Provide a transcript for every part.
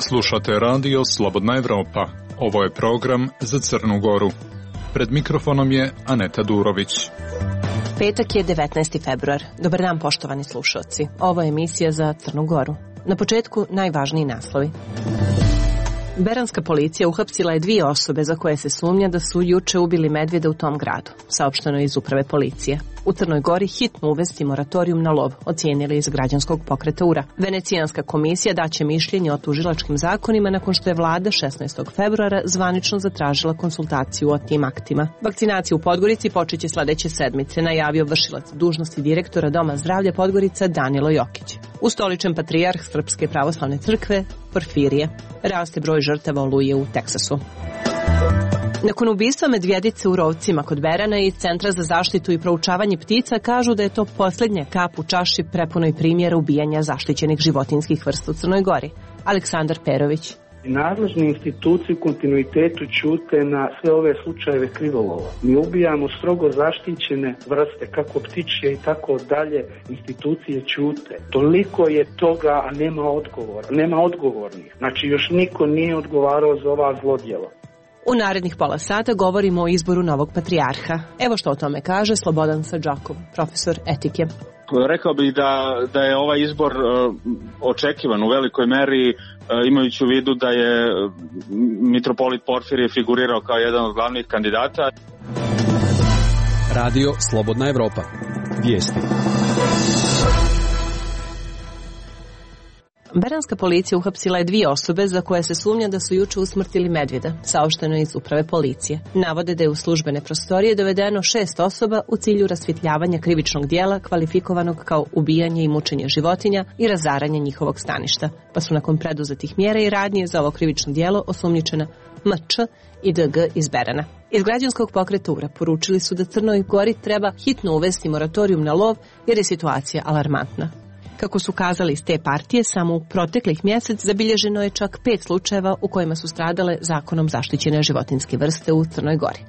Slušate radio Slobodna Evropa. Ovo je program za Crnu Goru. Pred mikrofonom je Aneta Durović. Petak je 19. februar. Dobar dan, poštovani slušalci. Ovo je emisija za Crnu Goru. Na početku najvažniji naslovi. Beranska policija uhapsila je 2 osobe za koje se sumnja da su juče ubili medvjeda u tom gradu, saopšteno je iz uprave policije. U Crnoj Gori hitno uvesti moratorijum na lov, ocijenili iz građanskog pokreta URA. Venecijanska komisija daće mišljenje o tužilačkim zakonima nakon što je vlada 16. februara zvanično zatražila konsultaciju o tim aktima. Vakcinacija u Podgorici počeće sledeće sedmice, najavio vršilac dužnosti direktora Doma zdravlja Podgorica Danilo Jokić. Ustoličen patrijarh Srpske pravoslavne crkve Porfirije. Raste broj žrtava oluje u Teksasu. Nakon ubistva medvjedice u Rovcima kod Berana iz Centra za zaštitu i proučavanje ptica kažu da je to posljednja kap u čaši prepunoj primjera ubijanja zaštićenih životinjskih vrsta u Crnoj Gori. Aleksandar Perović. Nadležne institucije u kontinuitetu ćute na sve ove slučajeve krivolova. Mi ubijamo strogo zaštićene vrste, kako ptičje i tako dalje, institucije ćute. Toliko je toga, a nema odgovora, nema odgovornih. Znači još niko nije odgovarao za ova zlodjela. U narednih pola sata govorimo o izboru novog patrijarha. Evo što o tome kaže Slobodan Sadžakov, profesor etike. Rekao bih da je ovaj izbor očekivan u velikoj meri, imajući u vidu da je mitropolit Porfirije figurirao kao jedan od glavnih kandidata. Radio Slobodna Evropa. Vijesti. Beranska policija uhapsila je 2 osobe za koje se sumnja da su juče usmrtili medvjeda, saopšteno je iz uprave policije. Navode da je u službene prostorije dovedeno 6 osoba u cilju rasvjetljavanja krivičnog dijela kvalifikovanog kao ubijanje i mučenje životinja i razaranje njihovog staništa, pa su nakon preduzetih mjera i radnje za ovo krivično dijelo osumnjičena MČ i DG iz Berana. Iz građanskog pokreta URA poručili su da Crnoj Gori treba hitno uvesti moratorijum na lov jer je situacija alarmantna. Kako su kazali iz te partije, samo u proteklih mjesec zabilježeno je čak 5 slučajeva u kojima su stradale zakonom zaštićene životinjske vrste u Crnoj Gori.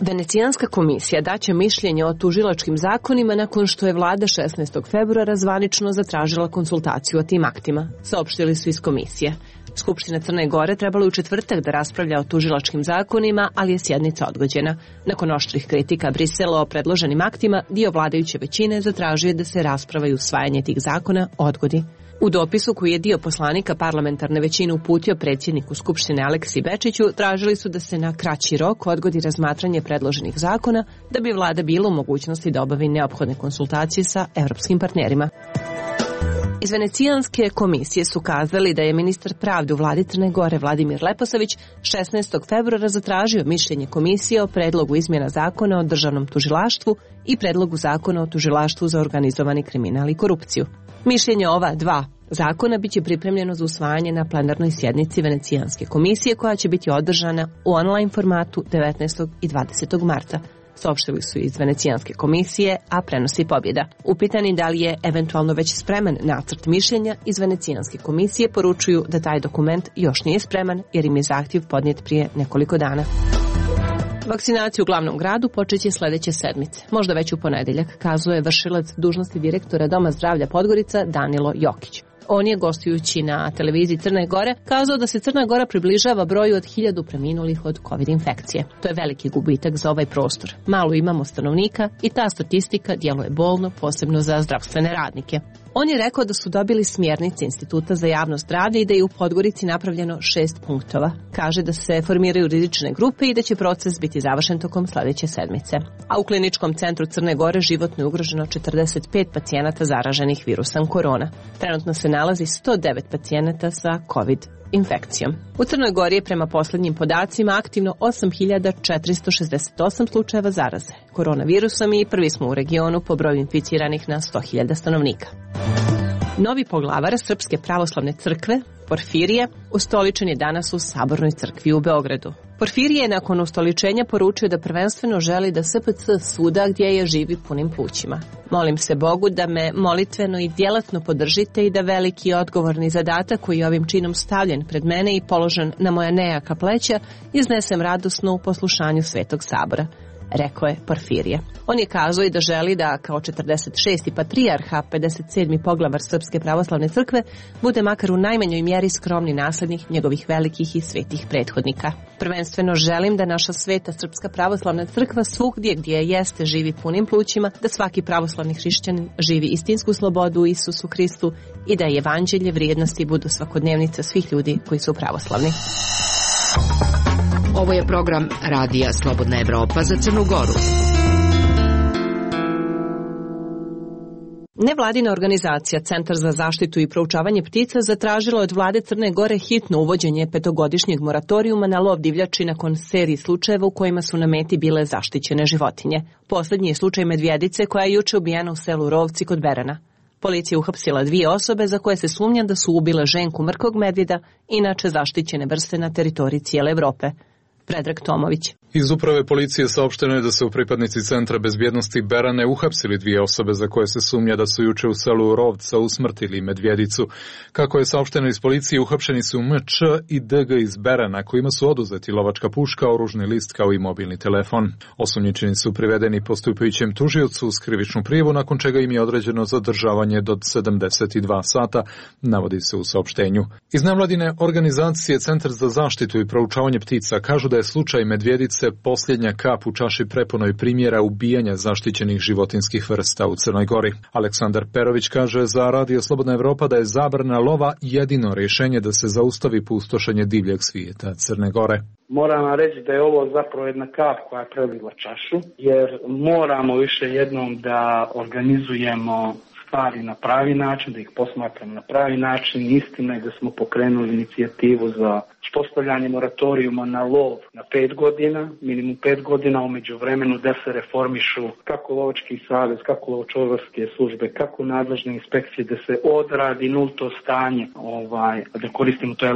Venecijanska komisija daće mišljenje o tužilačkim zakonima nakon što je vlada 16. februara zvanično zatražila konsultaciju o tim aktima, saopštili su iz komisije. Skupština Crne Gore trebala u četvrtak da raspravlja o tužilačkim zakonima, ali je sjednica odgođena. Nakon oštrih kritika Brisela o predloženim aktima, dio vladajuće većine zatražuje da se rasprava i usvajanje tih zakona odgodi. U dopisu koji je dio poslanika parlamentarne većine uputio predsjedniku Skupštine Aleksi Bečiću, tražili su da se na kraći rok odgodi razmatranje predloženih zakona da bi vlada bila u mogućnosti da obavi neophodne konsultacije sa evropskim partnerima. Iz Venecijanske komisije su kazali da je ministar pravde u vladi Crne Gore Vladimir Leposavić 16. februara zatražio mišljenje komisije o predlogu izmjena zakona o državnom tužilaštvu i predlogu zakona o tužilaštvu za organizovani kriminal i korupciju. Mišljenje ova 2 zakona biće pripremljeno za usvajanje na plenarnoj sjednici Venecijanske komisije koja će biti održana u online formatu 19. i 20. marta. Saopštili su iz Venecijanske komisije, a prenosi Pobjeda. Upitani da li je eventualno već spreman nacrt mišljenja, iz Venecijanske komisije poručuju da taj dokument još nije spreman jer im je zahtjev podnijet prije nekoliko dana. Vakcinaciju u glavnom gradu počeće sledeće sedmice, možda već u ponedjeljak, kazuje vršilac dužnosti direktora Doma zdravlja Podgorica Danilo Jokić. On je, gostujući na televiziji Crne Gore, kazao da se Crna Gora približava broju od 1000 preminulih od COVID infekcije. To je veliki gubitak za ovaj prostor. Malo imamo stanovnika i ta statistika djeluje bolno, posebno za zdravstvene radnike. On je rekao da su dobili smjernice Instituta za javno zdravlje i da je u Podgorici napravljeno 6 punktova. Kaže da se formiraju rizične grupe i da će proces biti završen tokom sledeće sedmice. A u kliničkom centru Crne Gore životno je ugroženo 45 pacijenata zaraženih virusom korona. Trenutno se nalazi 109 pacijenata sa COVID infekcijom. U Crnoj Gori je prema posljednjim podacima aktivno 8468 slučajeva zaraze koronavirusom i prvi smo u regionu po broju inficiranih na 100.000 stanovnika. Novi poglavar Srpske pravoslavne crkve, Porfirije, ustoličen je danas u Sabornoj crkvi u Beogradu. Porfirije je nakon ustoličenja poručio da prvenstveno želi da SPC suda gdje je živi punim plućima. Molim se Bogu da me molitveno i djelatno podržite i da veliki i odgovorni zadatak koji je ovim činom stavljen pred mene i položen na moja nejaka pleća iznesem radosno u poslušanju Svetog Sabora. rekao je Porfirije. On je kazao i da želi da kao 46. patrijarha, 57. poglavar Srpske pravoslavne crkve, bude makar u najmanjoj mjeri skromni naslednik njegovih velikih i svetih prethodnika. Prvenstveno želim da naša sveta Srpska pravoslavna crkva svugdje gdje jeste živi punim plućima, da svaki pravoslavni hrišćanin živi istinsku slobodu u Isusu Hristu i da evanđelje vrijednosti budu svakodnevnica svih ljudi koji su pravoslavni. Ovo je program Radija Slobodna Evropa za Crnu Goru. Nevladina organizacija Centar za zaštitu i proučavanje ptica zatražila od vlade Crne Gore hitno uvođenje 5-godišnjeg moratorijuma na lov divljači nakon seriji slučajeva u kojima su na meti bile zaštićene životinje. Poslednji je slučaj medvjedice koja je juče ubijena u selu Rovci kod Berana. Policija uhapsila 2 osobe za koje se sumnja da su ubile ženku mrkog medvjeda, inače zaštićene vrste na teritoriji cijele Evrope. Predrag Tomović. Iz uprave policije saopšteno je da su pripadnici Centra bezbjednosti Berane uhapsili 2 osobe za koje se sumnja da su juče u selu Rovca usmrtili medvjedicu. Kako je saopšteno iz policije, uhapšeni su MČ i DG iz Berana, kojima su oduzeti lovačka puška, oružni list kao i mobilni telefon. Osumnjičeni su privedeni postupajućem tužiocu uz krivičnu prijavu, nakon čega im je određeno zadržavanje do 72 sata, navodi se u saopštenju. Iz nevladine organizacije Centar za zaštitu i proučavanje ptica kažu da je slučaj medvjedice posljednja kap u čaši prepunoj primjera ubijanja zaštićenih životinskih vrsta u Crnoj Gori. Aleksandar Perović kaže za Radio Slobodna Evropa da je zabrana lova jedino rješenje da se zaustavi pustošenje divljeg svijeta Crne Gore. Moram vam reći da je ovo zapravo jedna kap koja je prelila čašu, jer moramo više jednom da organizujemo stvari na pravi način, da ih posmatramo na pravi način. Istina je da smo pokrenuli inicijativu za uspostavljanje moratorijuma na lov na 5 godina, minimum 5 godina, umeđu vremenu da se reformišu kako lovački savez, kako lovočuvarske službe, kako nadležne inspekcije, da se odradi nulto stanje, da koristimo to je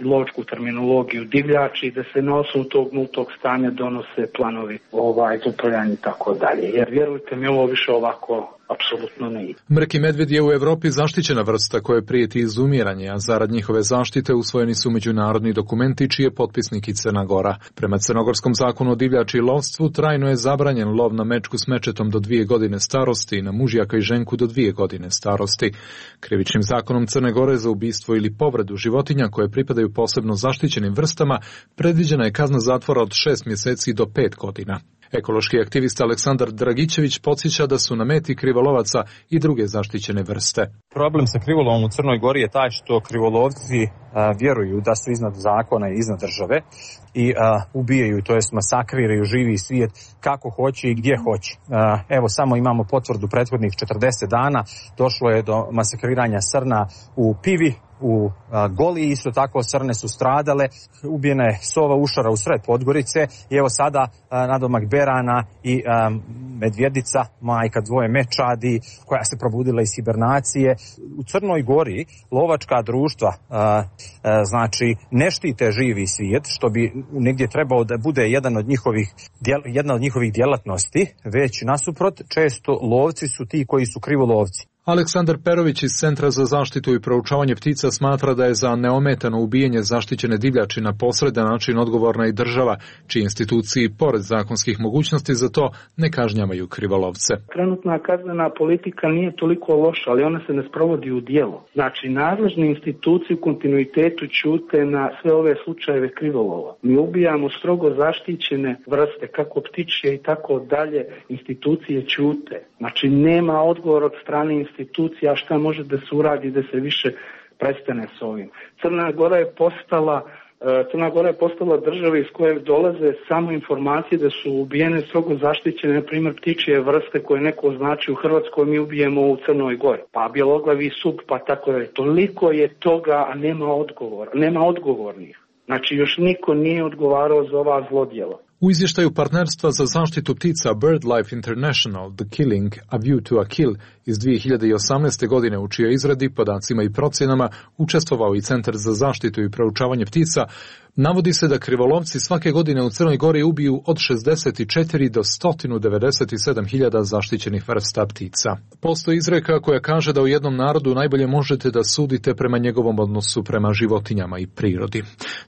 lovačku terminologiju divljači, da se na osnovu tog nultog stanja donose planovi za upravljanje i tako dalje. Jer vjerujte mi, ovo više ovako apsolutno ne ide. Mrki medvjed je u Evropi zaštićena vrsta koja prijeti izumiranje, a zarad njihove zaštite usvojeni su međunarodni dokumenti čiji je potpisnik i Crna Gora. Prema crnogorskom zakonu o divljači i lovstvu trajno je zabranjen lov na mečku s mečetom do 2 godine starosti i na mužjaka i ženku do 2 godine starosti. Krivičnim zakonom Crne Gore za ubistvo ili povredu životinja koje pripadaju posebno zaštićenim vrstama predviđena je kazna zatvora od 6 mjeseci do 5 godina. Ekološki aktivista Aleksandar Dragićević podsjeća da su na meti krivolovaca i druge zaštićene vrste. Problem sa krivolovom u Crnoj Gori je taj što krivolovci vjeruju da su iznad zakona i iznad države i ubijaju, to jest masakriraju živi svijet kako hoće i gdje hoće. Evo samo imamo potvrdu prethodnih 40 dana, došlo je do masakriranja srna u Pivi, u Goliji, isto tako srne su stradale, ubijena je sova ušara u sred Podgorice i evo sada nadomak Berana i medvjedica, majka 2 mečadi koja se probudila iz hibernacije. U Crnoj Gori lovačka društva znači ne štite živi svijet, što bi negdje trebao da bude jedna od njihovih djelatnosti, već nasuprot često lovci su ti koji su krivolovci. Aleksandar Perović iz Centra za zaštitu i proučavanje ptica smatra da je za neometano ubijanje zaštićene divljači na posredan način odgovorna i država, čiji instituciji, pored zakonskih mogućnosti za to, ne kažnjavaju krivolovce. Trenutna kaznena politika nije toliko loša, ali ona se ne sprovodi u djelo. Znači, nadležne institucije u kontinuitetu ćute na sve ove slučajeve krivolova. Mi ubijamo strogo zaštićene vrste, kako ptičje i tako dalje, institucije ćute. Znači, nema odgovor od strane institucija šta može da se uradi da se više prestane s ovim. Crna Gora je postala država iz koje dolaze samo informacije da su ubijene strogo zaštićene, na primjer ptičje vrste koje neko označi u Hrvatskoj, mi ubijemo u Crnoj Gori. Pa bjeloglavi sup, pa tako da je. Toliko je toga, a nema odgovornih. Znači još niko nije odgovarao za ova zlodjela. U izvještaju partnerstva za zaštitu ptica BirdLife International, The Killing, A View to a Kill iz 2018. godine, u čijoj izradi, podacima i procjenama učestvovao i Centar za zaštitu i proučavanje ptica, Navodi se da krivolovci svake godine u Crnoj Gori ubiju od 64 do 197 hiljada zaštićenih vrsta ptica. Postoji izreka koja kaže da u jednom narodu najbolje možete da sudite prema njegovom odnosu prema životinjama i prirodi.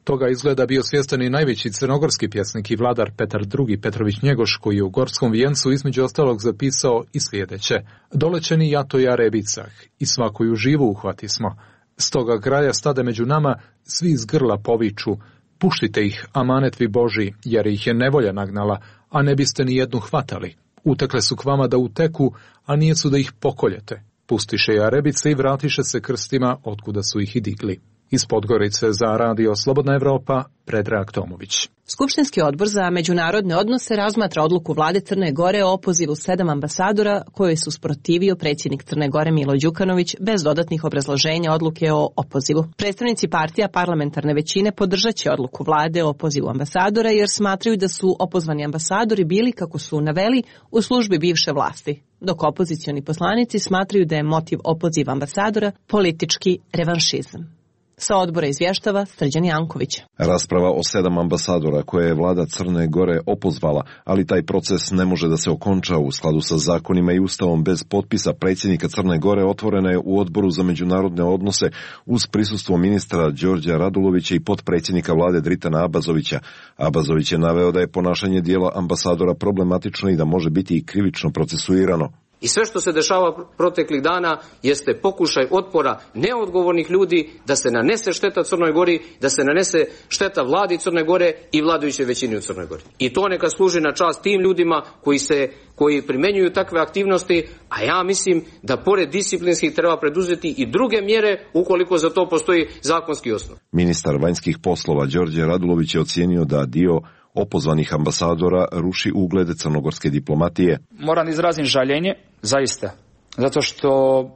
Toga izgleda bio svjestan i najveći crnogorski pjesnik i vladar Petar II. Petrović Njegoš, koji je u Gorskom vijencu između ostalog zapisao i sljedeće: dolećeni jato ja rebicah i svakoju živu uhvati smo. Stoga graja stade među nama, svi iz grla poviču: puštite ih, amanetvi Boži, jer ih je nevolja nagnala, a ne biste ni jednu hvatali. Utekle su k vama da uteku, a nije su da ih pokoljete. Pustiše jarebice i vratiše se krstima, otkuda su ih i digli. Iz Podgorice za Radio Slobodna Evropa, Predrag Tomović. Skupštinski odbor za međunarodne odnose razmatra odluku vlade Crne Gore o opozivu 7 ambasadora koje su sprotivio predsjednik Crne Gore Milo Đukanović bez dodatnih obrazloženja odluke o opozivu. Predstavnici partija parlamentarne većine podržat će odluku vlade o opozivu ambasadora jer smatraju da su opozvani ambasadori bili, kako su naveli, u službi bivše vlasti, dok opozicioni poslanici smatraju da je motiv opoziva ambasadora politički revanšizam. Sa odbora izvještava Srđan Janković. Rasprava o 7 ambasadora koje je vlada Crne Gore opozvala, ali taj proces ne može da se okonča u skladu sa zakonima i ustavom bez potpisa predsjednika Crne Gore, otvorena je u odboru za međunarodne odnose uz prisustvo ministra Đorđa Radulovića i potpredsjednika vlade Dritana Abazovića. Abazović je naveo da je ponašanje dijela ambasadora problematično i da može biti i krivično procesuirano. I sve što se dešava proteklih dana jeste pokušaj otpora neodgovornih ljudi da se nanese šteta Crnoj Gori, da se nanese šteta vladi Crne Gore i vladajućoj većini u Crnoj Gori. I to neka služi na čast tim ljudima koji primenjuju takve aktivnosti, a ja mislim da pored disciplinskih treba preduzeti i druge mjere ukoliko za to postoji zakonski osnov. Ministar vanjskih poslova Đorđe Radulović je ocijenio da dio opozvanih ambasadora ruši ugled crnogorske diplomatije. Moram izrazim žaljenje, zaista, zato što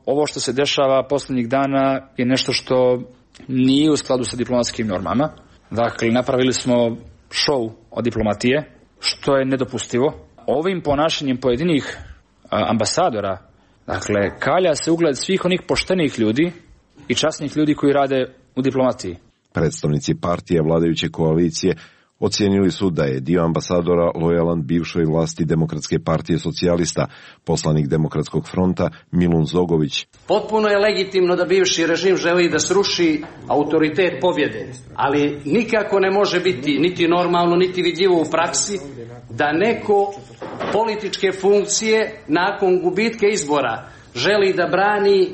ovo što se dešava posljednjih dana je nešto što nije u skladu sa diplomatskim normama. Dakle, napravili smo šou od diplomatije, što je nedopustivo. Ovim ponašanjem pojedinih ambasadora, dakle, kalja se ugled svih onih poštenih ljudi i časnih ljudi koji rade u diplomatiji. Predstavnici partije vladajuće koalicije ocijenili su da je dio ambasadora lojalan bivšoj vlasti Demokratske partije socijalista, poslanik Demokratskog fronta Milun Zogović. Potpuno je legitimno da bivši režim želi da sruši autoritet pobjede, ali nikako ne može biti niti normalno, niti vidljivo u praksi da neko političke funkcije nakon gubitka izbora želi da brani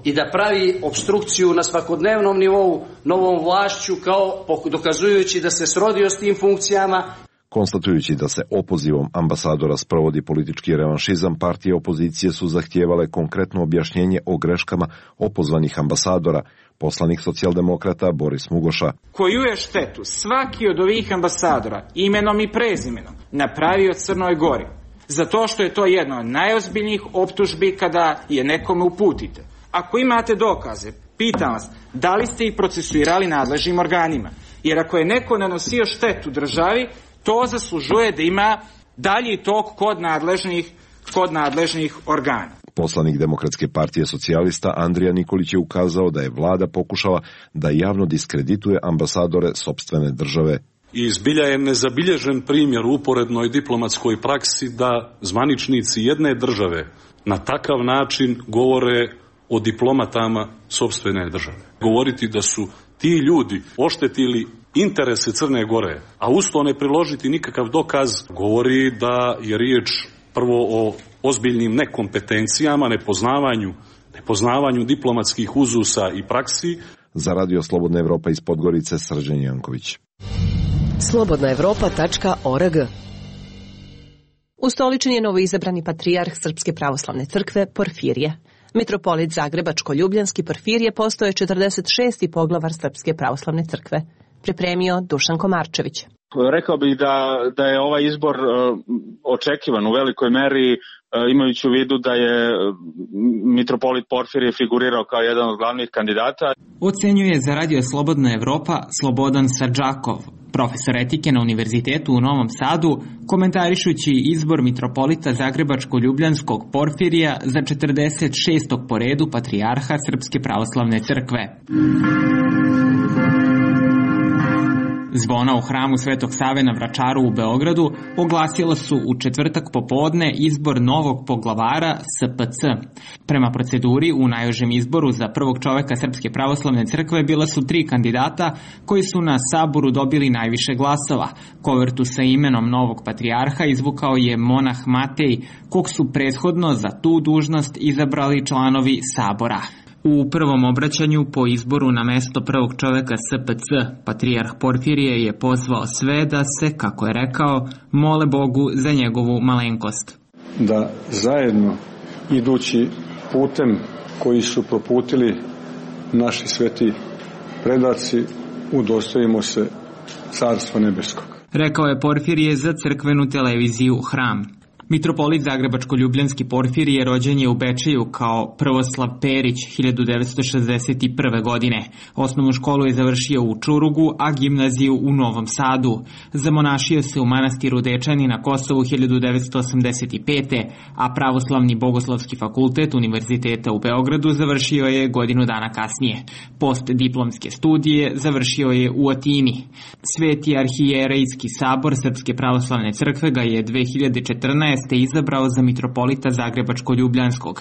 i da pravi opstrukciju na svakodnevnom nivou novom vlašću, kao dokazujući da se srodio s tim funkcijama. Konstatujući da se opozivom ambasadora sprovodi politički revanšizam, partije opozicije su zahtijevale konkretno objašnjenje o greškama opozvanih ambasadora. Poslanik socijaldemokrata Boris Mugoša. Koju je štetu svaki od ovih ambasadora imenom i prezimenom napravio Crnoj Gori, zato što je to jedna od najozbiljnijih optužbi kada je nekome uputite. Ako imate dokaze, pitam vas, da li ste ih procesuirali nadležnim organima? Jer ako je neko nanosio štetu državi, to zaslužuje da ima dalji tok kod nadležnih organa. Poslanik Demokratske partije socijalista Andrija Nikolić je ukazao da je vlada pokušala da javno diskredituje ambasadore sopstvene države. I zbilja je nezabilježen primjer u uporednoj diplomatskoj praksi da zvaničnici jedne države na takav način govore o diplomatama sopstvene države. Govoriti da su ti ljudi oštetili interese Crne Gore, a uz to ne priložiti nikakav dokaz, govori da je riječ prvo o ozbiljnim nekompetencijama, nepoznavanju diplomatskih uzusa i praksi. Za Radio Slobodna Evropa iz Podgorice, Srđan Janković. slobodnaevropa.org. Ustoličen je novoizabrani patrijarh Srpske pravoslavne crkve Porfirije. Mitropolit Zagrebačko-Ljubljanski Porfirije postao je 46. poglavar Srpske pravoslavne crkve. Pripremio Dušan Komarčević. Rekao bih da je ovaj izbor očekivan u velikoj meri, imajući u vidu da je mitropolit Porfirije figurirao kao jedan od glavnih kandidata. Ocenjuje za Radio Slobodna Evropa Slobodan Sarđakov, profesor etike na Univerzitetu u Novom Sadu, komentarišući izbor mitropolita Zagrebačko-Ljubljanskog Porfirija za 46. po redu patrijarha Srpske pravoslavne crkve. Zvona u hramu Svetog Save na Vračaru u Beogradu oglasila su u četvrtak popodne izbor novog poglavara SPC. Prema proceduri, u najužem izboru za prvog čoveka Srpske pravoslavne crkve bila su 3 kandidata koji su na saboru dobili najviše glasova. Kovertu sa imenom novog patrijarha izvukao je monah Matej, kog su prethodno za tu dužnost izabrali članovi sabora. U prvom obraćanju po izboru na mesto prvog čoveka SPC, patrijarh Porfirije je pozvao sve da se, kako je rekao, mole Bogu za njegovu malenkost. Da zajedno, idući putem koji su proputili naši sveti predaci, udostojimo se Carstva nebeskog. Rekao je Porfirije za crkvenu televiziju Hram. Mitropolit Zagrebačko-ljubljanski Porfirije rođen je u Bečeju kao Prvoslav Perić 1961. godine. Osnovnu školu je završio u Čurugu, a gimnaziju u Novom Sadu. Zamonašio se u manastiru Dečani na Kosovu 1985. a Pravoslavni bogoslovski fakultet Univerziteta u Beogradu završio je godinu dana kasnije. Postdiplomske studije završio je u Atini. Sveti arhijerejski sabor Srpske pravoslavne crkve ga je 2014. izabrao za mitropolita Zagrebačko-ljubljanskog.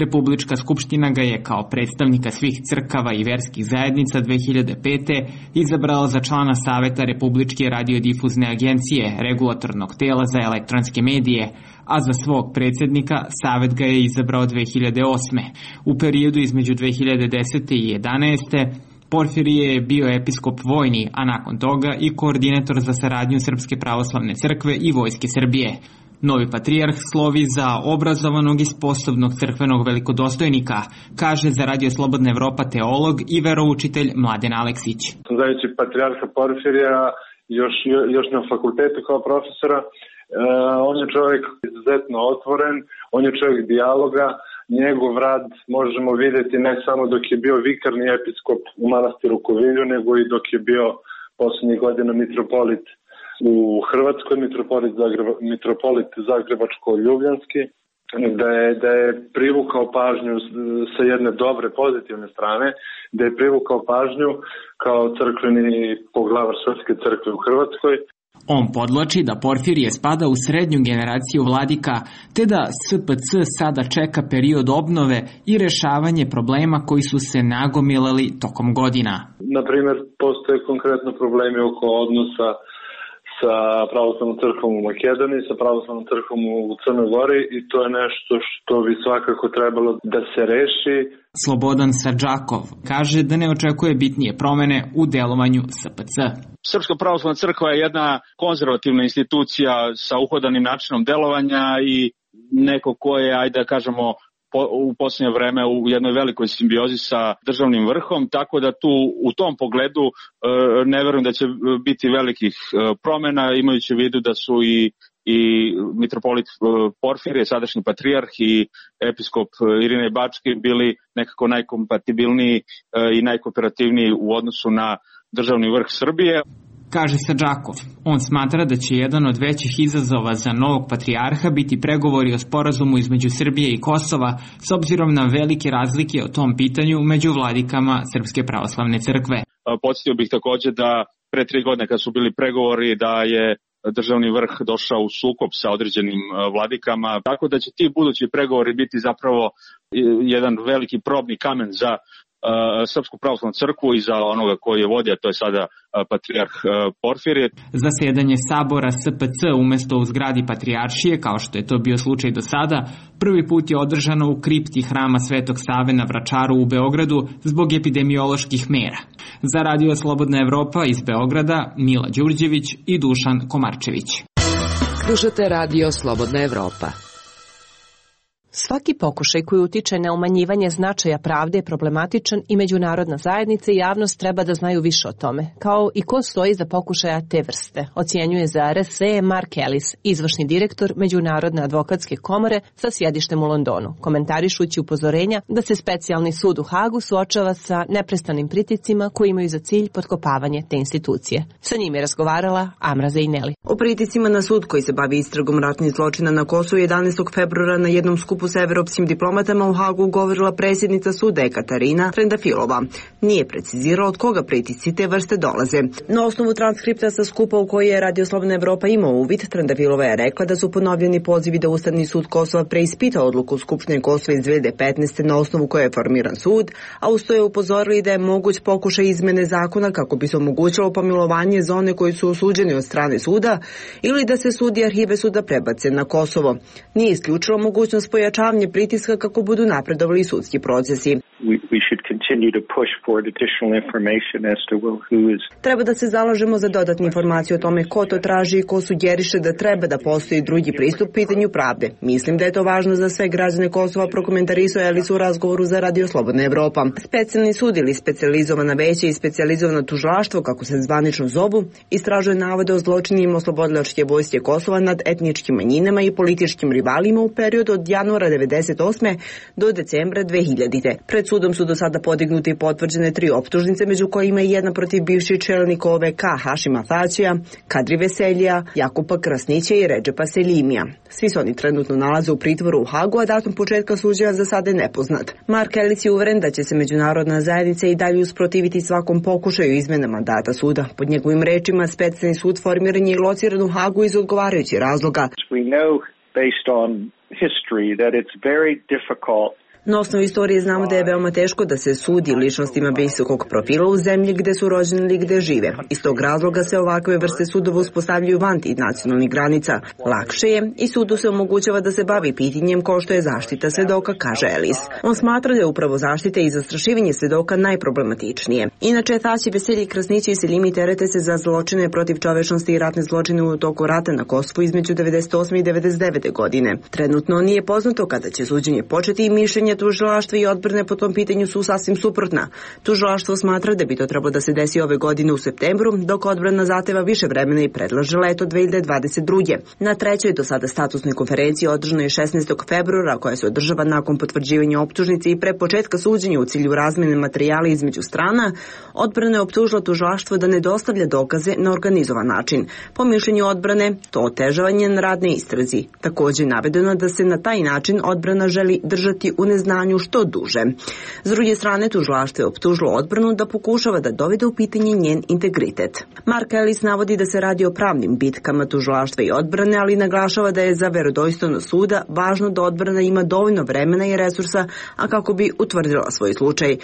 Republička skupština ga je kao predstavnika svih crkava i verskih zajednica 2005. izabrala za člana Saveta Republičke radiodifuzne agencije, regulatornog tela za elektronske medije, a za svog predsjednika Savet ga je izabrao 2008. U periodu između 2010. i 2011. Porfirije je bio episkop vojni, a nakon toga i koordinator za saradnju Srpske pravoslavne crkve i Vojske Srbije. Novi patrijarh slovi za obrazovanog i sposobnog crkvenog velikodostojnika, kaže za Radio Slobodna Evropa teolog i veroučitelj Mladen Aleksić. Znajući patrijarha Porfirija još na fakultetu kao profesora, on je čovjek izuzetno otvoren, on je čovjek dijaloga, njegov rad možemo vidjeti ne samo dok je bio vikarni episkop u manastiru Kovilju, nego i dok je bio posljednjih godina mitropolit u Hrvatskoj, mitropolit Zagrebačko-ljubljanski, da je privukao pažnju sa jedne dobre, pozitivne strane, da je privukao pažnju kao crkveni poglavar Srpske crkve u Hrvatskoj. On podlači da Porfirije spada u srednju generaciju vladika, te da SPC sada čeka period obnove i rešavanje problema koji su se nagomilali tokom godina. Na primjer, postoje konkretno problemi oko odnosa sa pravoslavnom crkvom u Makedoniji, sa pravoslavnom crkvom u Crnoj Gori i to je nešto što bi svakako trebalo da se reši. Slobodan Sardžakov kaže da ne očekuje bitnije promene u delovanju SPC. Srpska pravoslavna crkva je jedna konzervativna institucija sa uhodanim načinom delovanja i neko ko je, ajde da kažemo, u posljednje vreme u jednoj velikoj simbiozi sa državnim vrhom, tako da tu u tom pogledu ne verujem da će biti velikih promjena, imajući u vidu da su i mitropolit Porfirije, sadašnji patrijarh i episkop Irinej Bački bili nekako najkompatibilniji i najkooperativniji u odnosu na državni vrh Srbije. Kaže Sardžakov. On smatra da će jedan od većih izazova za novog patrijarha biti pregovori o sporazumu između Srbije i Kosova s obzirom na velike razlike o tom pitanju među vladikama Srpske pravoslavne crkve. Podsjetio bih također da pre 3 godine kad su bili pregovori da je državni vrh došao u sukob sa određenim vladikama, tako da će ti budući pregovori biti zapravo jedan veliki probni kamen za Srpsku pravoslavnu crkvu i za onoga koji je vodi, a to je sada patrijarh Porfirije. Zasedanje sabora SPC umesto u zgradi patrijaršije, kao što je to bio slučaj do sada, prvi put je održano u kripti hrama Svetog Save na Vračaru u Beogradu zbog epidemioloških mera. Za Radio Slobodna Evropa iz Beograda Mila Đurđević i Dušan Komarčević. Slušate Radio Slobodna Evropa. Svaki pokušaj koji utiče na umanjivanje značaja pravde je problematičan i međunarodna zajednica i javnost treba da znaju više o tome, kao i ko stoji za pokušaja te vrste, ocjenjuje za RSE Mark Ellis, izvršni direktor Međunarodne advokatske komore sa sjedištem u Londonu, komentarišući upozorenja da se specijalni sud u Hagu suočava sa neprestanim priticima koji imaju za cilj potkopavanje te institucije. Sa njim je razgovarala Amra Zejneli. O priticima na sud koji se bavi istragom ratnih zločina na Kosovu 11. februara na jednom skupu skupu sa evropskim diplomatama u Hagu govorila predsjednica suda Ekaterina Trendafilova. Nije precizirala od koga pritisci te vrste dolaze. Na osnovu transkripta sa skupa u koji je Radio Slobodna Evropa imao uvid, Trendafilova je rekla da su ponovljeni pozivi da Ustavni sud Kosova preispita odluku Skupštine Kosova iz 2015. na osnovu koje je formiran sud, a uz to je upozorili da je moguć pokušaj izmene zakona kako bi se omogućilo pomilovanje za one koji su osuđeni od strane suda ili da se sud i arhive suda prebace na Kosovo. Nije isključilo mogućnost pojačavanja pritiska kako budu napredovali sudski procesi. Treba da se zalažemo za dodatne informacije o tome ko to traži i ko sugeriše da treba da postoji drugi pristup pitanju pravde. Mislim da je to važno za sve građane Kosova, prokomentarisao Elis u razgovoru za Radio Slobodna Evropa. Specijalni sud ili specijalizovana veća i specijalizovano tužilaštvo, kako se zvanično zovu, istražuje navode o zločinima oslobodilačke vojske Kosova nad etničkim manjinama i političkim rivalima u periodu od januara 1998. do decembra 2000. Pred sudom su do sada podignuti i potvrđene 3 optužnice, među kojima je jedna protiv bivših čelnika OVK Hašima Tačija, Kadri Veseljija, Jakupa Krasnića i Redžepa Selimija. Svi se oni trenutno nalaze u pritvoru u Hagu, a datum početka suđenja za sada je nepoznat. Mark Ellis je uveren da će se međunarodna zajednica i dalje usprotiviti svakom pokušaju izmene mandata suda. Pod njegovim rečima, specijalni sud formiran je i lociran u Hagu iz odgovarajućih razloga. Na osnovu istorije znamo da je veoma teško da se sudi ličnostima visokog profila u zemlji gde su rođeni ili gde žive. Iz tog razloga se ovakve vrste sudova uspostavljaju van nacionalnih granica. Lakše je i sudu se omogućava da se bavi pitanjem kao što je zaštita svedoka, kaže Ellis. On smatra da je upravo zaštita i zastrašivanje svedoka najproblematičnije. Inače, Tači, Veselji, Krasnići i Selimi terete se za zločine protiv čovečnosti i ratne zločine u toku rata na Kosovu između 98. i 99. godine. Trenutno nije poznato kada će suđenje početi i mišljenje tužilaštva i odbrane po tom pitanju su sasvim suprotna. Tužilaštvo smatra da bi to trebalo da se desi ove godine u septembru, dok odbrana zahteva više vremena i predlaže leto 2022. Na trećoj do sada statusnoj konferenciji održanoj 16. februara, koja se održava nakon potvrđivanja optužnice i pre početka suđenja u cilju razmene materijala između strana, odbrana je optužila tužilaštvo da ne dostavlja dokaze na organizovan način. Po mišljenju odbrane, to otežava njen rad na istrazi. Također je navedeno da se na taj način odbrana želi držati u neznanju što duže. S druge strane, tužilaštvo je optužilo odbranu da pokušava da dovede u pitanje njen integritet. Mark Ellis navodi da se radi o pravnim bitkama tužilaštva i odbrane, ali naglašava da je za verodostojnost suda važno da odbrana ima dovoljno vremena i resursa, a kako bi utvrdila svoj slučaj.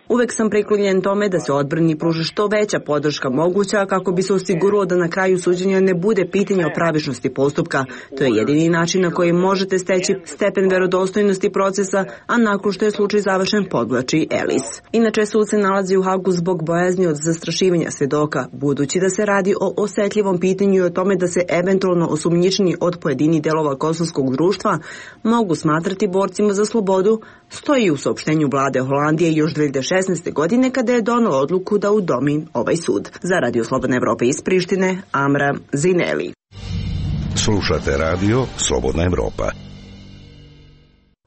Uvek sam priklonjen tome da se odbrani pruži što veća podrška moguća kako bi se osiguralo da na kraju suđenja ne bude pitanje o pravičnosti postupka. To je jedini način na koji možete steći stepen verodostojnosti procesa, a nakon što je slučaj završen, podvlači Ellis. Inače, sud se nalazi u Hagu zbog bojazni od zastrašivanja svedoka, budući da se radi o osetljivom pitanju i o tome da se eventualno osumnjičeni od pojedinih delova kosovskog društva mogu smatrati borcima za slobodu, stoji u saopštenju vlade Holandije još 2016. godine kada je donela odluku da udomi ovaj sud. Za Radio Slobodna Evropa iz Prištine, Amra Zineli. Slušate Radio Slobodna Evropa.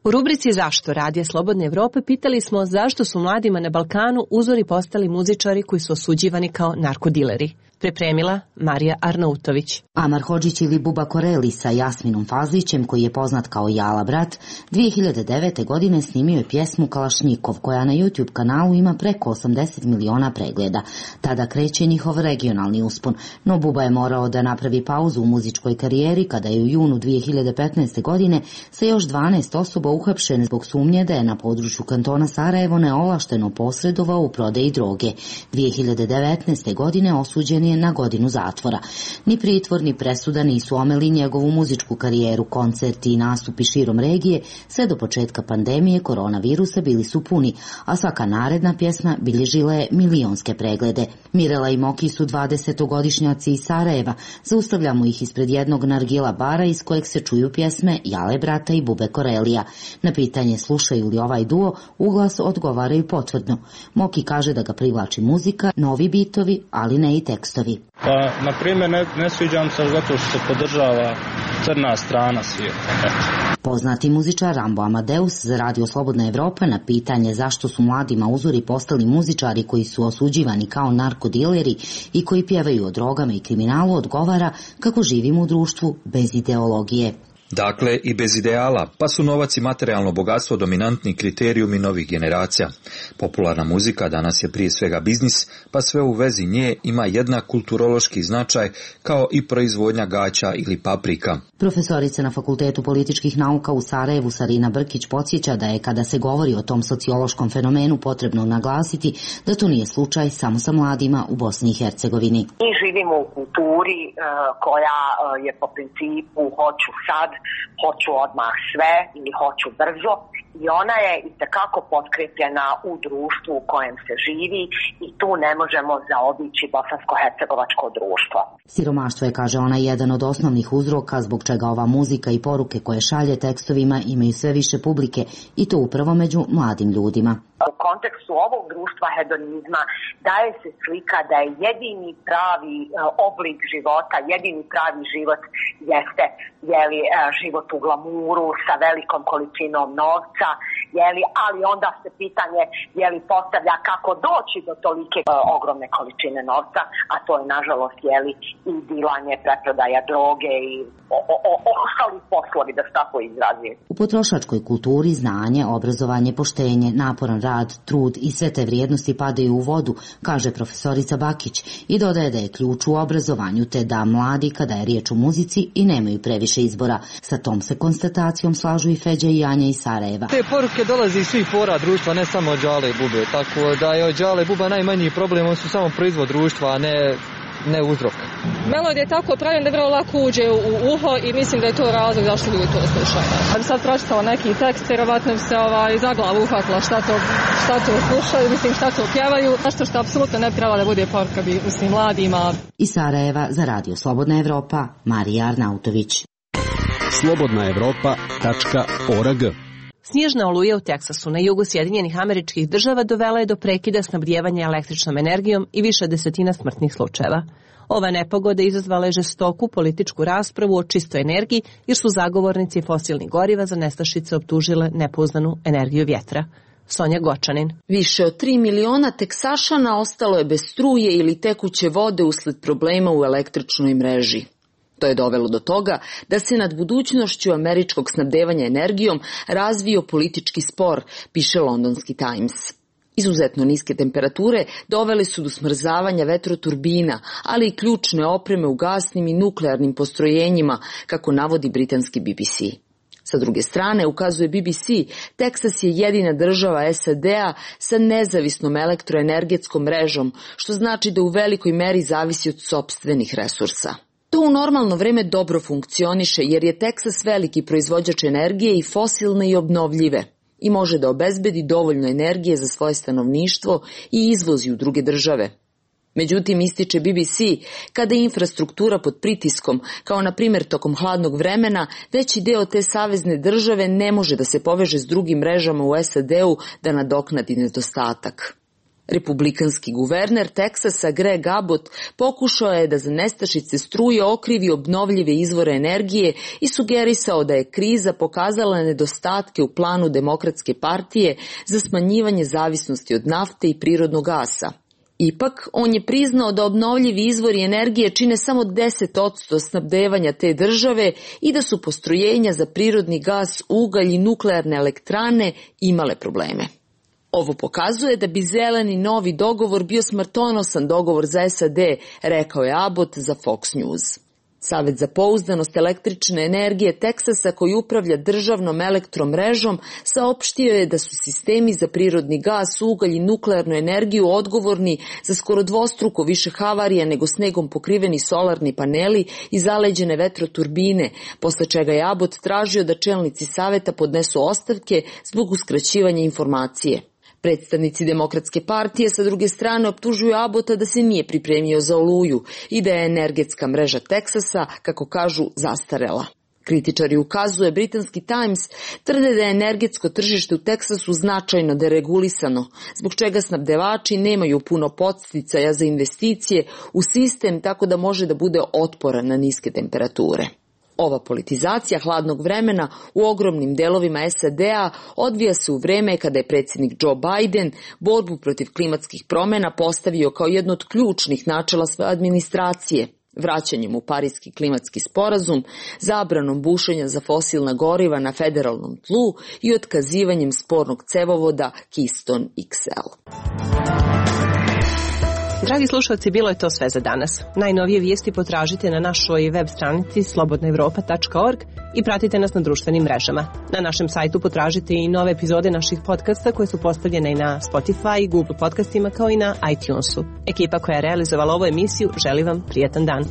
U rubrici Zašto Radija Slobodne Evrope pitali smo zašto su mladima na Balkanu uzori postali muzičari koji su osuđivani kao narkodileri. Pripremila Marija Arnautović. Amar Hodžić ili Buba Koreli sa Jasminom Fazlićem, koji je poznat kao Jala brat, 2009. godine snimio je pjesmu Kalašnjikov, koja na YouTube kanalu ima preko 80 miliona pregleda. Tada kreće njihov regionalni uspon, no Buba je morao da napravi pauzu u muzičkoj karijeri kada je u junu 2015. godine sa još 12 osoba uhapšen zbog sumnje da je na području kantona Sarajevo neovlašteno posredovao u prodaji droge. 2019. godine osuđen je na godinu zatvora. Ni pritvor ni presuda nisu omeli njegovu muzičku karijeru. Koncerti i nastupi širom regije sve do početka pandemije koronavirusa bili su puni, a svaka naredna pjesma bilježila je milionske preglede. Mirela i Moki su 20-godišnjaci iz Sarajeva. Zaustavljamo ih ispred jednog nargila bara iz kojeg se čuju pjesme Jale brata i Bube Korelija. Na pitanje slušaju li ovaj duo, uglas odgovaraju potvrdno. Moki kaže da ga privlači muzika, novi bitovi, ali ne i tekstovi. Pa, na primjer, ne sviđam se zato što se podržava crna strana svijeta. Poznati muzičar Rambo Amadeus za Radio Slobodna Evropa na pitanje zašto su mladima uzori postali muzičari koji su osuđivani kao narkodileri i koji pjevaju o drogama i kriminalu odgovara kako živimo u društvu bez ideologije. Dakle, i bez ideala, pa su novac i materijalno bogatstvo dominantni kriterijumi novih generacija. Popularna muzika danas je prije svega biznis, pa sve u vezi nje ima jednak kulturološki značaj kao i proizvodnja gaća ili paprika. Profesorica na Fakultetu političkih nauka u Sarajevu Sarina Brkić podsjeća da je kada se govori o tom sociološkom fenomenu potrebno naglasiti da to nije slučaj samo sa mladima u Bosni i Hercegovini. Mi živimo u kulturi koja je po principu hoću sad, hoću odmah sve ili hoću brzo i ona je itekako potkrepljena u društvu u kojem se živi i tu ne možemo zaobići bosansko-hercegovačko društvo. Siromaštvo je, kaže ona, jedan od osnovnih uzroka zbog čega ova muzika i poruke koje šalje tekstovima imaju sve više publike i to upravo među mladim ljudima. U kontekstu ovog društva hedonizma daje se slika da je jedini pravi oblik života, jedini pravi život jeste život u glamuru sa velikom količinom novca, ali onda se pitanje postavlja kako doći do tolike ogromne količine novca, a to je nažalost i dilanje, preprodaja droge i ostali poslovi, da se tako izrazim. U potrošačkoj kulturi znanje, obrazovanje, poštenje, naporan rad, trud i sve te vrijednosti padaju u vodu, kaže profesorica Bakić i dodaje da je ključ u obrazovanju te da mladi kada je riječ o muzici i nemaju previše izbora. Sa tom se konstatacijom slažu i Feđa i Anja iz Sarajeva. Te poruke dolaze iz svih pora društva, ne samo od Đale i Bube, tako da je od Đale i Buba najmanji problem, on su samo proizvod društva, a ne uzrok. Melodija je tako pravljena da vrlo lako uđe u uho i mislim da je to razlog zašto ljudi to slušaju. Da bi sad pročitala neki tekst, vjerovatno bi se za glavu uhvatila šta to slušaju, šta to pjevaju, nešto što apsolutno ne bi trebalo da bude poruka mladima. Iz Sarajeva za Radio Slobodna Evropa, Marija Arnautović. slobodnaevropa.org. Snježna oluja u Teksasu na jugu Sjedinjenih Američkih Država dovela je do prekida snabdijevanja električnom energijom i više desetina smrtnih slučajeva. Ova nepogoda izazvala je žestoku političku raspravu o čistoj energiji jer su zagovornici fosilnih goriva za nestašice optužile nepouzdanu energiju vjetra. Sonja Gočanin. Više od 3 miliona Teksašana ostalo je bez struje ili tekuće vode usled problema u električnoj mreži. To je dovelo do toga da se nad budućnošću američkog snabdevanja energijom razvio politički spor, piše londonski Times. Izuzetno niske temperature dovele su do smrzavanja vetroturbina, ali i ključne opreme u gasnim i nuklearnim postrojenjima, kako navodi britanski BBC. Sa druge strane, ukazuje BBC, Teksas je jedina država SAD-a sa nezavisnom elektroenergetskom mrežom, što znači da u velikoj meri zavisi od sopstvenih resursa. To u normalno vreme dobro funkcioniše jer je Teksas veliki proizvođač energije i fosilne i obnovljive i može da obezbedi dovoljno energije za svoje stanovništvo i izvozi u druge države. Međutim, ističe BBC, kada je infrastruktura pod pritiskom, kao na primjer tokom hladnog vremena, veći deo te savezne države ne može da se poveže s drugim mrežama u SAD-u da nadoknadi nedostatak. Republikanski guverner Teksasa Greg Abbott pokušao je da za nestašice struje okrivi obnovljive izvore energije i sugerisao da je kriza pokazala nedostatke u planu Demokratske partije za smanjivanje zavisnosti od nafte i prirodnog gasa. Ipak, on je priznao da obnovljivi izvori energije čine samo 10% snabdevanja te države i da su postrojenja za prirodni gas, ugalj i nuklearne elektrane imale probleme. Ovo pokazuje da bi zeleni novi dogovor bio smrtonosan dogovor za SAD, rekao je Abbott za Fox News. Savet za pouzdanost električne energije Teksasa, koji upravlja državnom elektromrežom, saopštio je da su sistemi za prirodni gas, ugalj i nuklearnu energiju odgovorni za skoro dvostruko više havarija nego snegom pokriveni solarni paneli i zaleđene vetroturbine, posle čega je Abbott tražio da čelnici saveta podnesu ostavke zbog uskraćivanja informacije. Predstavnici Demokratske partije sa druge strane optužuju Abbotta da se nije pripremio za oluju i da je energetska mreža Teksasa, kako kažu, zastarela. Kritičari, ukazuje britanski Times, tvrde da je energetsko tržište u Teksasu značajno deregulisano, zbog čega snabdevači nemaju puno podsticaja za investicije u sistem tako da može da bude otporan na niske temperature. Ova politizacija hladnog vremena u ogromnim delovima SAD-a odvija se u vreme kada je predsjednik Joe Biden borbu protiv klimatskih promjena postavio kao jedno od ključnih načela svoje administracije vraćanjem u Pariski klimatski sporazum, zabranom bušenja za fosilna goriva na federalnom tlu i otkazivanjem spornog cevovoda Keystone XL. Dragi slušalci, bilo je to sve za danas. Najnovije vijesti potražite na našoj web stranici slobodnaevropa.org i pratite nas na društvenim mrežama. Na našem sajtu potražite i nove epizode naših podcasta koje su postavljene i na Spotify, Google podcastima kao i na iTunesu. Ekipa koja je realizovala ovu emisiju želi vam prijetan dan.